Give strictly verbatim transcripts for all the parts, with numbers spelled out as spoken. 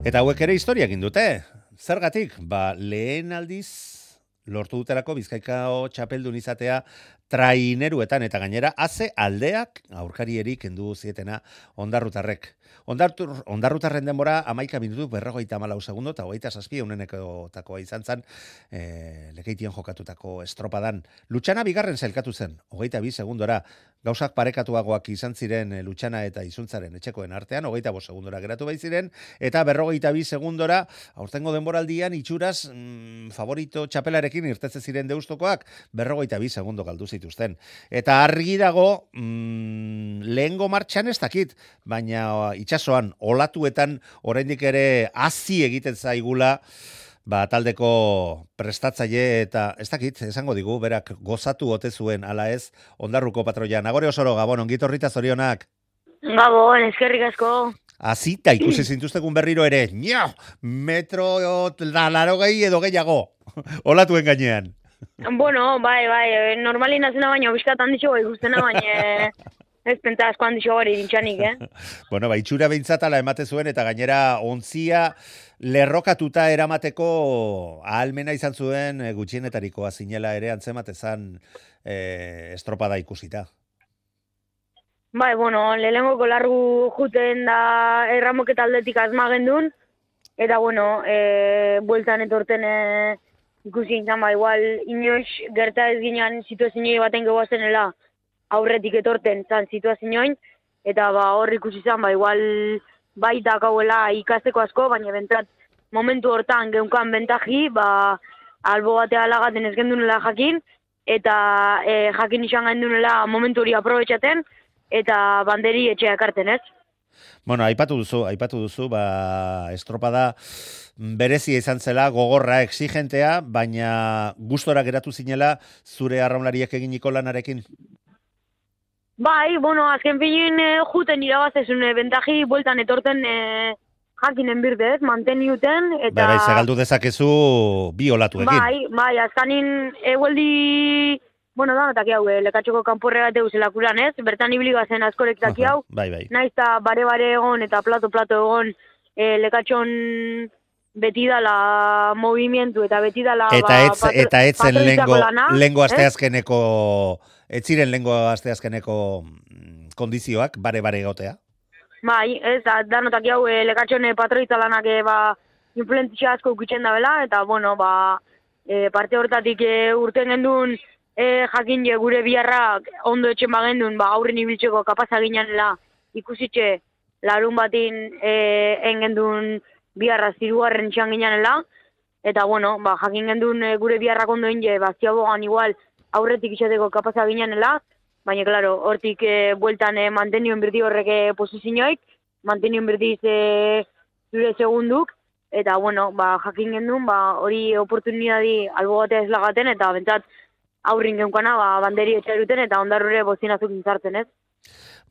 Eta hauek ere historia egin dute. Zergatik? Ba, lehen aldiz lortu dutelako Bizkaikao txapeldun izatea traineruetan eta gainera haze aldeak aurkarierik kendu zietena ondarrutarrek. Ondartur, ondarrutarren denbora amaika minutu berrogeita hamalau segundo eta hogeita zazpi eunenekotakoa izan zen e, lekeitien jokatutako estropadan. Lutxana bigarren zailkatu zen, hogeita bi segundora. Gauzak parekatuagoak izan ziren e, Lutxana eta Izuntzaren etxekoen artean, hogeita bost segundora geratu bai ziren, eta berrogeita bi segundora, aurtengo denboraldian itxuraz mm, favorito txapelarekin irtetze ziren deustokoak, berrogeita bi segundo galdu zituzten. Eta argi dago, mm, lehengo martxan ez dakit, baina itxasoan, olatuetan, oraindik ere hazi egiten zaigula, ba, taldeko prestatzaile eta ez dakit, esango digu, berak gozatu ote zuen ala ez Ondarruko patroian. Agore osoro, Gabon, ongitorrita zorionak. Gabon, eskerrik asko. Azita, ikusi zintuztegun berriro ere, nio, metro larogei edo gehiago, olatuen gainean. Bueno, bai, bai, normalin azena baina, bizkatan ditxo bai guztena baina, ez pentsa asko handixo gari dintxanik, eh? Bueno, ba, itxura behintzatala emate zuen eta gainera ontzia lerrokatuta eramateko ahalmena izan zuen e, gutxienetarikoa zinela ere antzematezan e, estropada ikusita. Bai, bueno, lehenengoko largu juten da erramoketa aldetik azmagendun, eta bueno, e, bueltan etorten e, ikusi izan ba, igual inoiz gerta ez ginen situazioa baten gehuazenela aurretik etorten zan situazioin, eta ba, hor ikusi izan ba, igual baita kauela ikasteko asko, baina bentsat momentu hortan geunkan bentaji, ba, albo batea lagaten ez gendunela jakin, eta e, jakin izan gendunela momentu hori aprobetxaten, eta banderi etxea ekarten, ez? Bueno, aipatu duzu, aipatu duzu, ba, estropada berezia izan zela, gogorra, exigentea, baina gustora geratu zinela zure arraunlariak eginiko lanarekin? Bai, bueno, azken finin e, juten irabaztezun e, bentaji, bueltan etorten e, jakinen birdez, manteniuten, eta... Bai, bai, segaldu dezakezu bi olatuekin. Bai, bai, azkanin egueldi... Bueno, da, taki hau, lekatxoko kanporre bat eus elakuran, ez? Bertan ibili bazen askorek taki hau. Bai, bai. Naiz eta bare-bare egon eta plato-plato egon e, lekatxon beti dala movimientu eta beti dala... Eta ez, ba, patro, eta etzen lengo, lana, lengo eh? asteazkeneko, ez ziren lengo asteazkeneko kondizioak, bare-bare egotea? Bai, ez, da, danotak hau, e, lekatxon e, patroitza lanak e, ba, influentzia asko ukitzen da bela, eta, bueno, ba, e, parte hortatik e, urten gendun, E, jakin je gure biharrak ondo etxen bagendun, ba, aurren ibiltzeko kapaza ginanela ikusitxe larun batin e, engendun biharra zirugarren txan ginanela, eta bueno, ba, jakin gendun e, gure biharrak ondo inge, ba, ziabogan igual aurretik izateko kapaza ginanela, baina, klaro, hortik e, bueltan e, mantenion birdi horrek e, posizioik, mantenion birdiz e, zure segunduk, eta bueno, ba, jakin gendun, ba, hori oportunidadi albo batea ez lagaten, eta bentsat, aurrin geunkana, ba, banderi etxaruten eta ondarrure bozinazuk intzartzen, ez?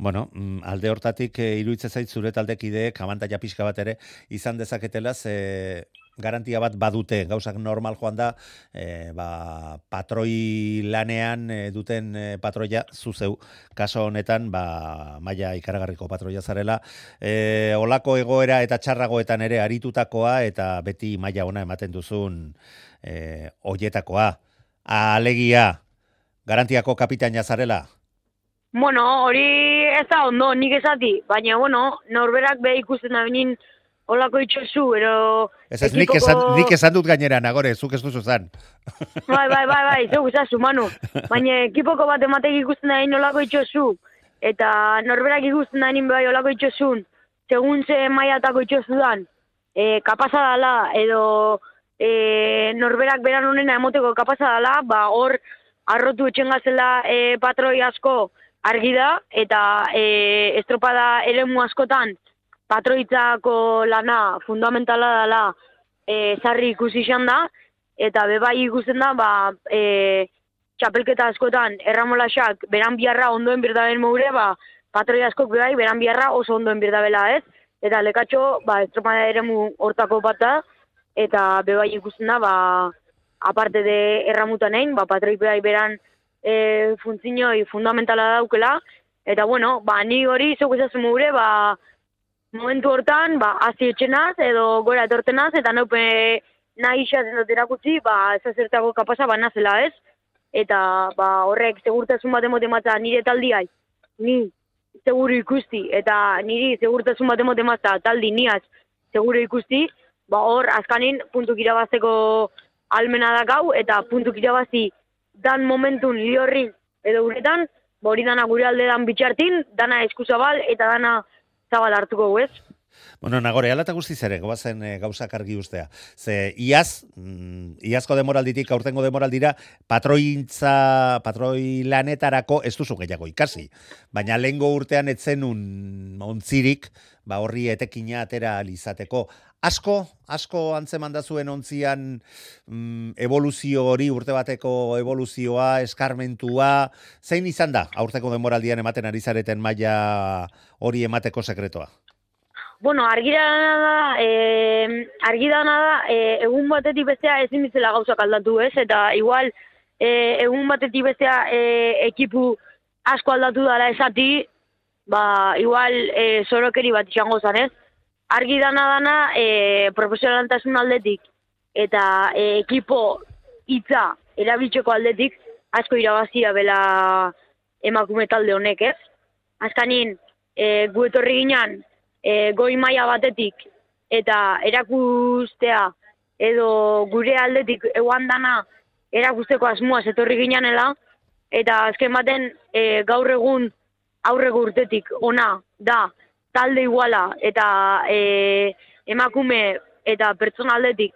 Bueno, alde hortatik e, iruditzen zait zure taldekideek abantaila pixka bat ere izan dezaketela, ze garantia bat badute, gauzak normal joan da, e, ba, patroi lanean e, duten e, patroia zuzeu, kaso honetan, ba, maila ikaragarriko patroia zarela, e, olako egoera eta txarragoetan ere aritutakoa eta beti maila ona ematen duzun e, oietakoa. Alegia, garantiako kapitaina zarela? Bueno, hori ez da ondo, nik esati, baina, bueno, norberak be ikusten da benin olako itxosu, ero... Ez ez, nik, esan, nik esan dut gainera, Nagore, zuk ez duzu zan. Bai, bai, bai, bai, zeu esazu, Manu. Baina ekipoko bat ematek ikusten da benin olako itxosu, eta norberak ikusten da benin bai olako itxosun, segun ze maiatako itxosu dan, e, kapaza dala, edo... E, norberak beran honena emoteko kapaza dela, ba, hor arrotu etxengazela e, patroi asko argi da, eta e, estropada eremu askotan patroitzako lana fundamentala dela e, sarri ikusi izan da, eta bebai ikusten da, ba, e, txapelketa askotan erramolaxak beran biharra ondoen birdaben moure, ba, patroi askok bebai beran biharra oso ondoen birdabela, ez? Eta lekatxo, ba, estropada eremu hortako bat da, eta bebai ikusten da, ba, aparte de erramutan egin, ba, patroik bebai beran e, funtzinoi fundamentala daukela, eta bueno, ba, ni hori zeu ezazu mugure, ba, momentu hortan, ba, hazi etxenaz, edo gora etortenaz, eta neupe nahi isatzen dut erakutzi, ba, ez azertako kapasa banazela, ez? Eta, ba, horrek segurtasun bat emote matza nire taldiai, ni seguru ikusti, eta niri segurtasun bat emote matza taldi niaz seguru ikusti, ba, hor, azkanin, puntuk irabazteko almena da gau, eta puntuk irabazi dan momentun liorrin edo uretan, ba, hori dana gure alde dan bitxartin, dana eskuzabal, eta dana zabal hartuko, ez? Bueno, Nagore, ala eta guztiz ere, goazen e, gauzak argi ustea. Ze, iaz, mm, iazko demoralditik, aurtengo demoraldira, patrointza, patroi lanetarako ez duzu gehiago ikasi. Baina lehengo urtean etzenun ontzirik, ba horri etekina atera alizateko. Asko, asko antzeman da zuen ontzian mm, evoluzio hori, urte bateko evoluzioa, eskarmentua, zein izan da, aurteko demoraldian ematen ari zareten maila hori emateko sekretua? Bueno, argi dana da, eh, argi dana da, eh, egun batetik bestea ezin ditzela gauzak aldatu, ez? Eta igual, eh, egun batetik bestea eh, ekipu asko aldatu dara esati, ba, igual eh, zorokeri bat izango zan, ez? Argi dana dana, eh, profesionaltasun aldetik eta eh, ekipo hitza erabiltzeko aldetik asko irabazia bela emakume talde honek, ez? Azkanin, eh, gu etorri ginen, E, goi maila batetik eta erakustea edo gure aldetik eguan dana erakusteko asmoaz etorri ginanela eta azken baten e, gaur egun aurreko urtetik ona da talde iguala eta e, emakume eta pertsona aldetik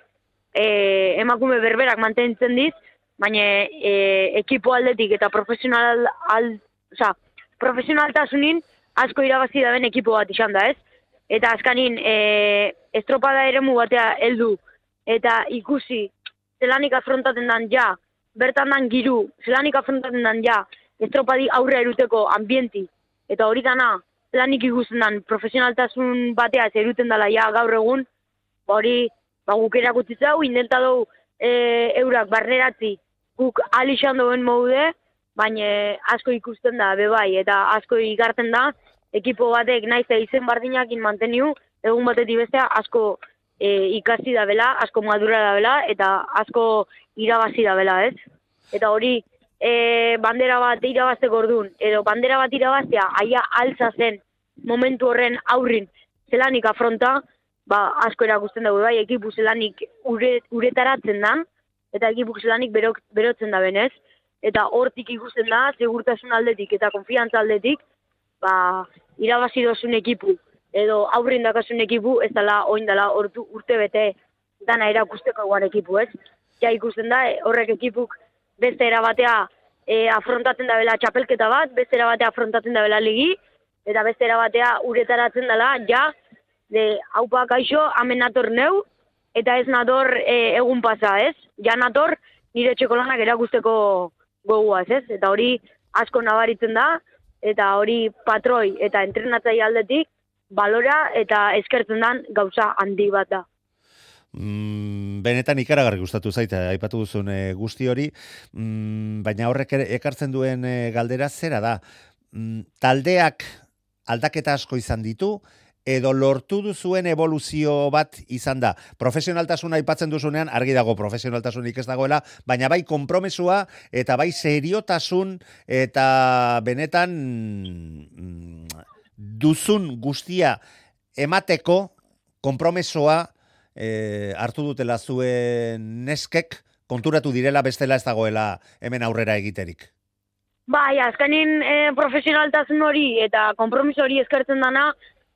e, emakume berberak mantentzen diz, baina e, ekipo aldetik eta profesional al, oza, profesionaltasunin asko irabazi daben ekipo bat izan da, ez? Eta azkanin, e, estropada eremu batea heldu eta ikusi zelanik afrontaten dan ja, bertan dan giru, zelanik afrontaten dan ja, estropadi aurre eruteko ambienti. Eta hori dana, zelanik ikusten dan profesionaltasun batea eruten dela ja gaur egun, ba hori, ba guk erakutzitza hau, indenta dugu e, eurak barneratzi, guk alixan duen moude, baina asko ikusten da, bebai, eta asko ikarten da, ekipo batek naiz izen bardinakin manteniu, egun batetik bestea asko e, ikasi da bela, asko madura da bela, eta asko irabazi da bela, ez? Eta hori, e, bandera bat irabazteko orduan, edo bandera bat irabaztea, aia altza zen momentu horren aurrin zelanik afronta, ba, asko erakusten dugu, bai, ekipu zelanik ure, uretaratzen dan, eta ekipu zelanik berok, berotzen da benez, eta hortik ikusten da, segurtasun aldetik eta konfiantza aldetik, ba, irabazi dozun ekipu, edo aurrin dakasun ekipu, ez dela, oin dela, ordu, urte bete dana erakusteko eguan ekipu, ez? Ja ikusten da, horrek ekipuk beste erabatea e, afrontatzen da bela txapelketa bat, beste erabatea afrontatzen da bela ligi, eta beste erabatea uretaratzen dela, ja, de, haupa kaixo, hamen nator neu, eta ez nator e, egun pasa, ez? Ja nator nire txeko lanak erakusteko goguaz, ez? Eta hori asko nabaritzen da, eta hori patroi eta entrenatzai aldetik balora eta eskertzen dan gauza handi bat da. Mm, benetan ikaragarri gustatu zaita, aipatu duzun e, guzti hori, mm, baina horrek ere ekartzen duen e, galdera zera da. Mm, taldeak aldaketa asko izan ditu, edo lortu duzuen evoluzio bat izan da. Profesionaltasuna aipatzen duzunean, argi dago profesionaltasunik ez dagoela, baina bai konpromesua eta bai seriotasun eta benetan mm, duzun guztia emateko konpromesoa e, hartu dutela zuen neskek, konturatu direla bestela ez dagoela hemen aurrera egiterik. Bai, azkanin e, profesionaltasun hori eta konpromiso hori eskertzen dana,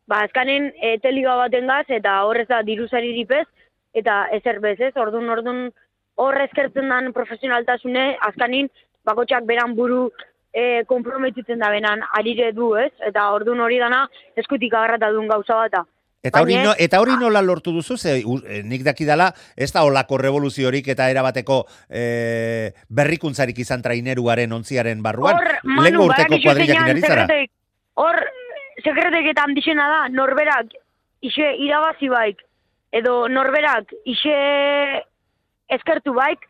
ba, azkanen e, teliga baten gaz, eta horrez da diruzari dipez, eta ezer bez, ez? Ordun, ordun, horre eskertzen dan profesionaltasune, azkanin, bakotxak beran buru e, komprometitzen da benan arire du, ez? Eta ordun hori dana eskutik agarrata duen gauza bata. Eta hori, no, eta hori nola lortu duzu, ze nik dakidala, ez da olako revoluziorik eta erabateko e, berrikuntzarik izan traineruaren ontziaren barruan. Hor, Manu, badakizuen zera. Hor, sekreteketan dixena da, norberak ise irabazi baik, edo norberak ise eskertu baik,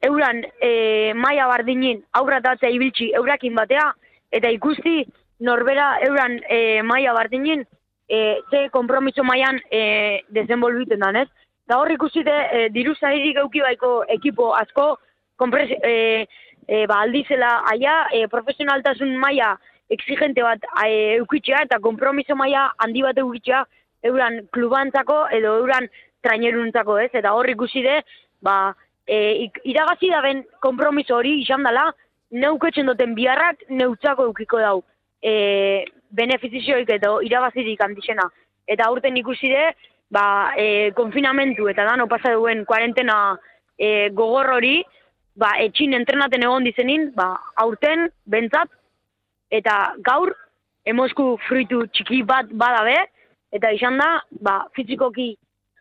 euran e, maia bardinin aurratatzea ibiltzi eurakin batea, eta ikusti norbera euran e, maia bardinin e, ze kompromiso mailan e, desenvolbiten dan, ez? Da hor ikusite, e, diru zairik euki baiko ekipo asko, kompres, e, e, ba, aldizela aia, e, profesionaltasun maila exigente bat e, eukitzea, eta kompromiso maila handi bat eukitzea, euran klubantzako edo euran traineruntzako, ez? Eta hor ikuside, ba, e, iragazi da ben kompromiso hori izan dela, neuketzen duten biharrak neutzako eukiko dau. E, benefizioik eta irabazirik handixena. Eta aurten ikuside, ba, e, konfinamentu eta dano pasa duen kuarentena e, gogor hori, ba, etxin entrenaten egon dizenin, ba, aurten, bentsat, eta gaur, emosku fruitu txiki bat badabe, eta izan da, ba, fizikoki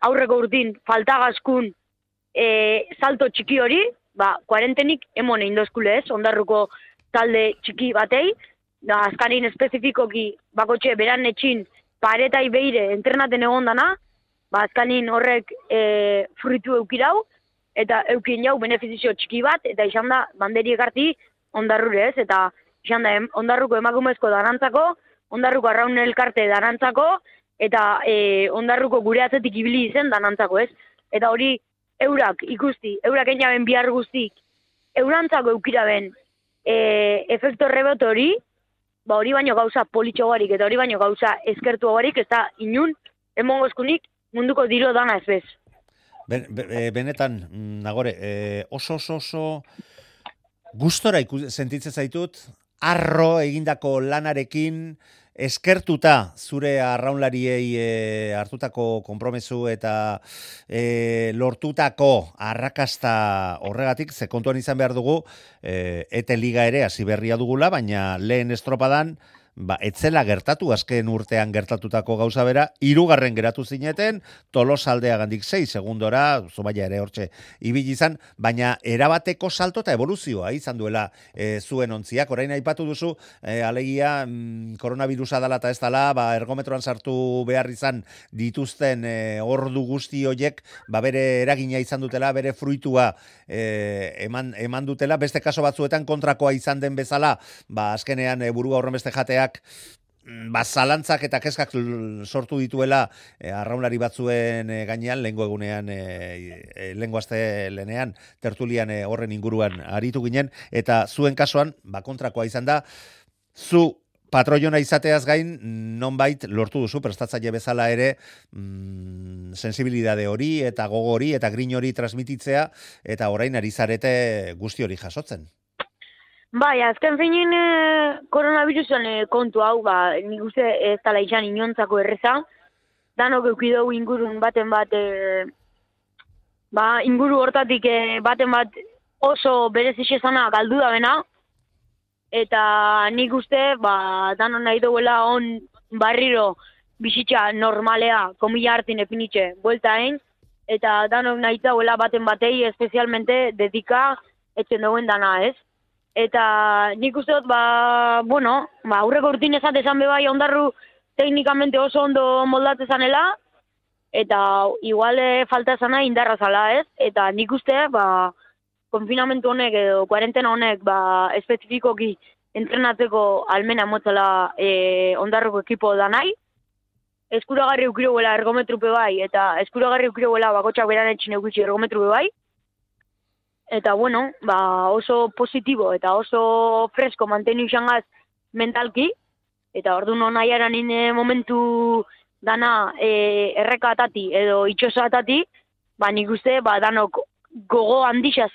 aurreko urtin faltagazkun e, salto txiki hori, ba, kuarentenik emone indozkule ez, ondarruko talde txiki batei, da azkarin espezifikoki bakotxe beran etxin paretai beire entrenaten egon dana, ba azkanin horrek e, fruitu eukirau, eta eukin jau benefizio txiki bat, eta izan da banderi ekarti ondarrure ez, eta izan da em, ondarruko emakumezko darantzako, ondarruko arraun elkarte darantzako, eta e, ondarruko gure atzetik ibili izen danantzako ez. Eta hori eurak ikusti, eurak einaben bihar guztik, eurantzako eukiraben e, efekto rebote hori, ba hori baino gauza politxogarik eta hori baino gauza eskertu hogarik, ez da inun, emongozkunik munduko diro dana ez bez. Ben, be, benetan, Nagore, e, oso oso oso gustora sentitzen zaitut, arro egindako lanarekin, eskertuta zure arraunlariei e, hartutako konpromesu eta e, lortutako arrakasta horregatik, ze kontuan izan behar dugu, e, ete liga ere hasi berria dugula, baina lehen estropadan, ba, etzela gertatu, azken urtean gertatutako gauza bera, hirugarren geratu zineten, Tolosaldea gandik sei segundora, Zumaia ere hortxe ibili izan, baina erabateko salto eta evoluzioa izan duela e, zuen ontziak. Orain aipatu duzu, e, alegia, mm, koronavirusa dala eta ez dala, ba, ergometroan sartu behar izan dituzten e, ordu guzti hoiek, ba, bere eragina izan dutela, bere fruitua e, eman, eman dutela, beste kaso batzuetan kontrakoa izan den bezala, ba, azkenean e, burua horren beste jatea ba, zalantzak eta kezkak sortu dituela e, arraunlari batzuen e, gainean, lehengo egunean, e, e, lehengo aste lehenean, tertulian e, horren inguruan aritu ginen, eta zuen kasuan, ba, kontrakoa izan da, zu patroiona izateaz gain, nonbait lortu duzu, prestatzaile bezala ere, mm, sensibilidade hori, eta gogo hori, eta grin hori transmititzea, eta orain ari zarete guzti hori jasotzen. Bai, azken feinen e, koronavirusen e, kontu hau, ba, nik uste ez tala izan inontzako erreza, danok eukidou ingurun baten bat, e, ba, inguru hortatik e, baten bat oso berezixezana galdu da bena, eta nik uste, ba, danon nahi duela on barriro bizitza normalea, komila hartin epinitxe, buelta egin, eta danok nahi duela baten batei, espezialmente dedika etzen duen dana, ez? Eta nik uste dut, ba, bueno, ba, aurreko urtin ezat esan bebai ondarru teknikamente oso ondo moldatze zanela, eta igual falta zana indarra zala, ez? Eta nik uste, ba, konfinamentu honek edo kuarentena honek, ba, espezifikoki entrenatzeko almena motzela e, ondarruko ekipo da nahi. Eskuragarri ukiroguela ergometrupe bai, eta eskuragarri ukiroguela bakotxak beran etxin eukitzi ergometrupe bai. Eta, bueno, ba, oso positibo eta oso fresko mantenu izangaz mentalki, eta ordu non nahiaran ine momentu dana e, erreka atati edo itxoso atati, ba, nik uste, ba, danok gogo handixaz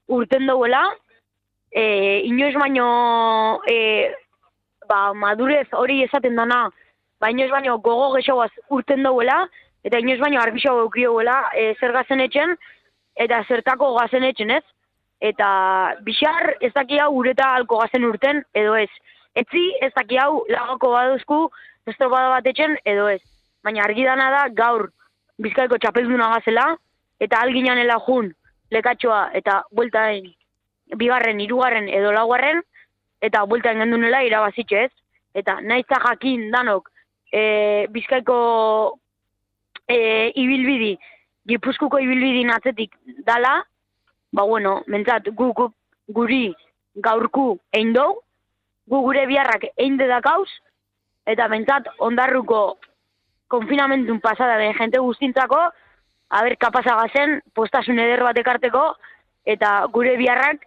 urten duela, e, inoiz baino, e, ba, madurez hori esaten dana, ba, inoiz baino gogo gexoaz urten duela, eta inoiz baino arbixo eukioela e, zer gazen etxen, eta zertako gazen etxen ez, eta bixar ez daki hau ureta alko gazen urten, edo ez. Etzi ez daki hau lagoko baduzku estropada bat etxen, edo ez. Baina argi dana da gaur Bizkaiko txapelduna gazela, eta alginanela jun lekatxoa eta bueltaen bigarren, hirugarren edo laugarren, eta bueltaen gendunela irabazitxe ez. Eta naizta jakin danok e, Bizkaiko e, ibilbidi, Gipuzkuko ibilbidin atzetik dala, ba bueno, mentzat gu, gu, guri gaurku egin dugu, gu gure biharrak egin dedakauz, eta mentzat ondarruko konfinamentun pasada ben jente guztintzako, haber kapazagazen postasun eder bat ekarteko, eta gure biharrak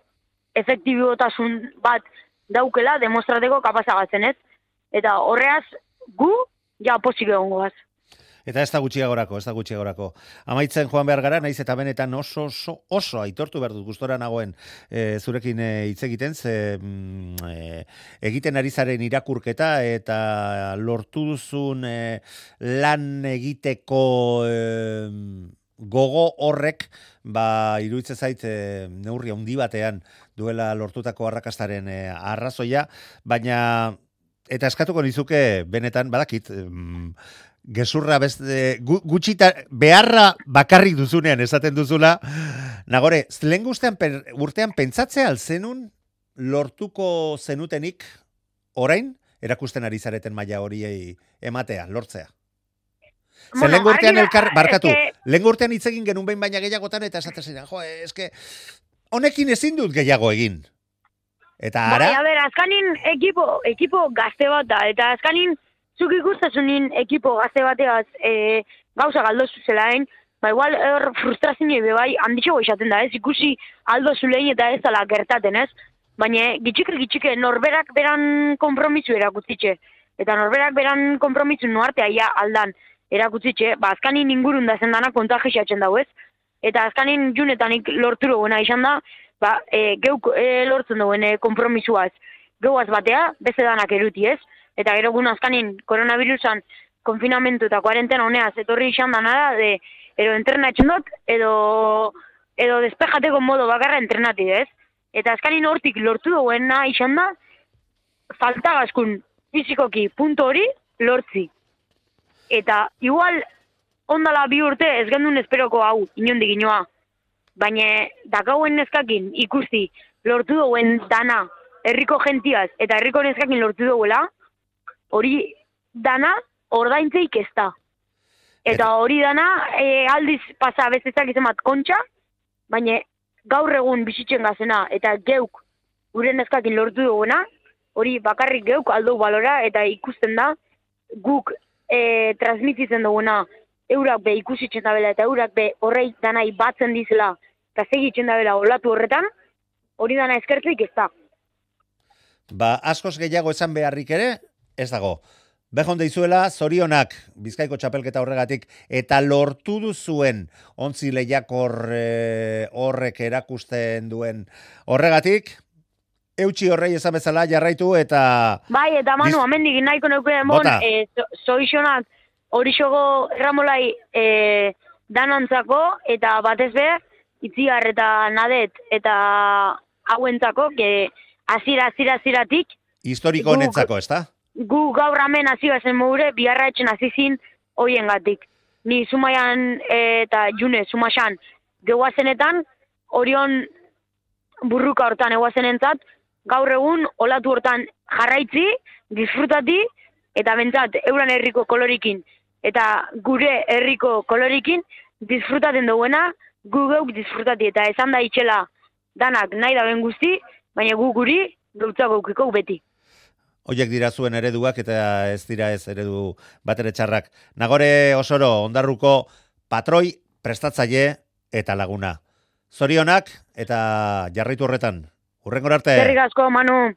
efektibotasun bat daukela demostrateko kapazagatzen, ez? Eta horreaz, gu, ja posik egongo gaz. Eta ez da gutxiagorako, ez da gutxiagorako. Amaitzen joan behar gara, naiz eta benetan oso, oso, oso aitortu behar dut gustora nagoen e, zurekin hitz egiten, ze e, egiten ari zaren irakurketa eta lortu duzun e, lan egiteko e, gogo horrek, ba, iruditzen zait e, neurri handi batean duela lortutako arrakastaren e, arrazoia, baina eta eskatuko nizuke benetan, badakit, mm, gezurra beste, gutxita beharra bakarrik duzunean esaten duzula, nagore, lehen guztean urtean pentsatzea alzenun lortuko zenutenik orain erakusten ari zareten maila horiei ematea, lortzea. Bueno, Zer lehen urtean elkar, barkatu, que... lehen urtean hitz egin genuen behin baina gehiagotan eta esaten ziren, jo, eske, honekin ezin dut gehiago egin. Eta ara? Bai, a ber, azkanin ekipo, ekipo gazte bat da, eta azkanin zuk ikustazunin ekipo gazte bateaz e, gauza galdozu zelaen, ba igual er, frustrazio bai handitxo izaten da, ez? Ikusi aldo zulein eta ez dala gertaten, ez? Baina gitxike gitxike norberak beran konpromisu erakutzitxe. Eta norberak beran konpromisu nuartea ja aldan erakutzitxe, ba azkanin ingurun da zendana kontagiatzen dago, ez? Eta azkanin junetanik lorturo buena izan da, ba, e, geuk e, lortzen duen e, konpromisuaz. Geuaz batea, beste danak eruti, ez? Eta gero gun azkanin koronavirusan konfinamentu eta kuarentena honeaz etorri izan da nada, de, edo entrenatzen dut, edo, edo despejateko modo bakarra entrenati, ez? Eta azkanin hortik lortu duena izan da, faltagazkun fizikoki punto hori lortzi. Eta igual ondala bi urte ez gendun esperoko hau, inondik inoa. Baina dakauen neskakin ikusti lortu duen dana herriko gentiaz eta herriko neskakin lortu duela, hori dana ordaintzeik ez da. Eta hori dana e, aldiz pasa bezezak izan bat kontxa, baina gaur egun bizitzen gazena eta geuk gure neskakin lortu duguna, hori bakarrik geuk aldo balora eta ikusten da guk e, transmititzen duguna eurak be ikusitzen dabela eta eurak be horrei danai batzen dizela eta segitzen dabela olatu horretan, hori dana eskertzeik ez da. Ba, askoz gehiago esan beharrik ere, ez dago. Behon deizuela, zorionak, Bizkaiko txapelketa horregatik, eta lortu duzuen ontzi lehiakor e, horrek erakusten duen horregatik, eutxi horrei esan bezala jarraitu eta... Bai, eta Manu, Biz... amendik nahiko neukeen bon, e, zoizonak hori xogo erramolai e, danantzako, eta batez be, itziar eta nadet, eta hauentzako, que azira, azira, aziratik... Historiko honetzako, ez da? Gu gaur hemen hasi bazen mogure, biharra etxen azizin hoien gatik. Ni Zumaian e, eta June, Zumaxan, gehuazenetan, orion burruka hortan eguazenentzat, gaur egun olatu hortan jarraitzi, disfrutati, eta bentsat euran herriko kolorikin, eta gure herriko kolorikin, disfrutaten duguena, gu geuk disfrutati, eta esan da itxela danak nahi da ben guzti, baina gu guri gautza gaukiko beti. Oiek dira zuen ereduak eta ez dira ez eredu batere txarrak. Nagore Osoro, Ondarruko patroi, prestatzaile eta laguna. Zorionak eta jarraitu horretan. Hurrengora arte. Eskerrik asko, Manu.